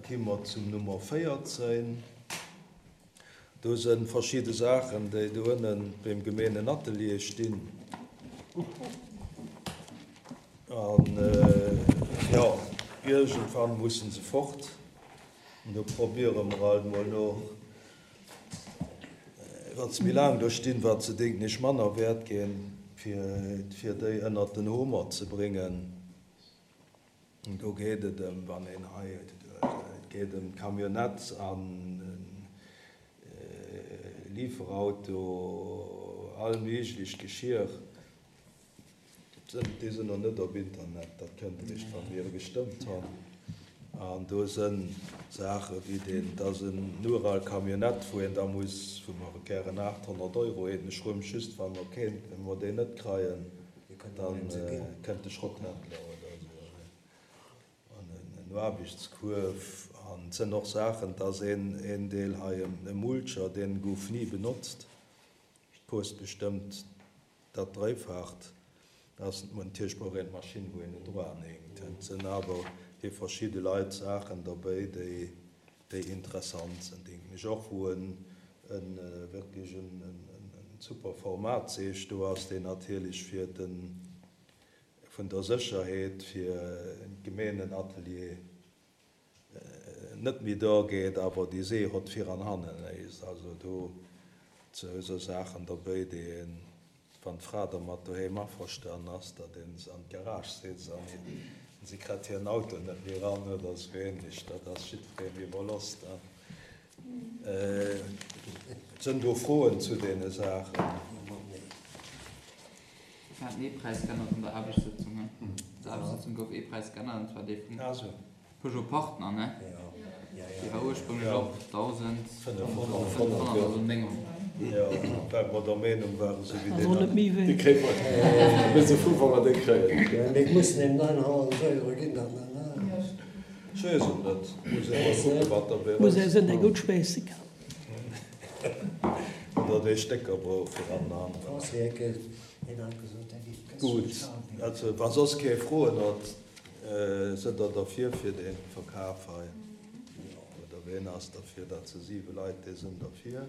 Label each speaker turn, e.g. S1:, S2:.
S1: ki mer zum Nummer 14. Do se verschidde Saachen, déi do ënnen beim Gemeenenatelier stinn. An jo, iergendwann mussen se fort. An do probiere mer alt mol no, wat se méi laang do stinn, wat se denken ech manner wäert ginn, fir déi ënnert den Homer ze bréngen. Do geet et ëm, wann een hei, et geet ëm d'Camionnette an Liiferauto, all méiglecht Geschir. Déi sinn nach net op Internet, dat kënnt eréischt, wa mir gestëmmt hunn. An do si Saache wéi deen, dat ass en ural Camionnette, wou een da muss, wou mer gären 800 Euro hätten. Ech froe mech just, wa mer keen, wa mer deen net kreien, Dann kënnt de Schrotthändler oder esou an en Aarbechtskuerf. An et sënn och Saachen, et ass een Deel hei e Mulcher, deen gouf ni benotzt, kost bestëmmt dat Dréifacht. Dat ass natierlech brauch een d'Maschinn wou een en droanhänkt. Et sënn awer fir verschidde Leit Saachen derbéi déi déi interessant sinn, denken ech och, wou en wierklech en super Format zeecht. Do ass deen natierlech fir de vun der Sécherheet fir d'Gemeenenatelier net méi do geet, awer déi See hott vir an hannen léisst. Also do sou Saachen derbéi, déi een Wann d'Fra dermat doheem averstanen ass, datt een se an d'Garage setzt an si krett hiren Auto net méi eran oder esou ähnlech, dat ass jiddwereen iwwerloss dann. Sënn do Froen zu deene Saachen?
S2: Mir haten ee Präis geännert an der Aarbechtssëtzung, he? An der Aarbechtssëtzung gouf ee Präis geännert, an zwar dee vum Peugeot Partner, ne? Dee war ursprünglech op 1.500, also 900.
S1: Jo, well mer der Meenung waren, esou wéi deen an.
S3: Dee kréie mer, mir si frou, wa mer dee kréien.
S4: Mir mussen him 900 Euro ginn, dann, ne?
S1: Ech weess et net, muss ee mol kucken, wat derbäi
S5: Muss ee sinn, dee gutt schweesse kann.
S1: Oder dee Stécker brauch fir an den aneren. Gutt, also wa soss kee Froen huet. Sënn der derfir fir dee Verkaf hei? Oder ween ass derfir? Dat si 7 Leit, déi sënn derfir.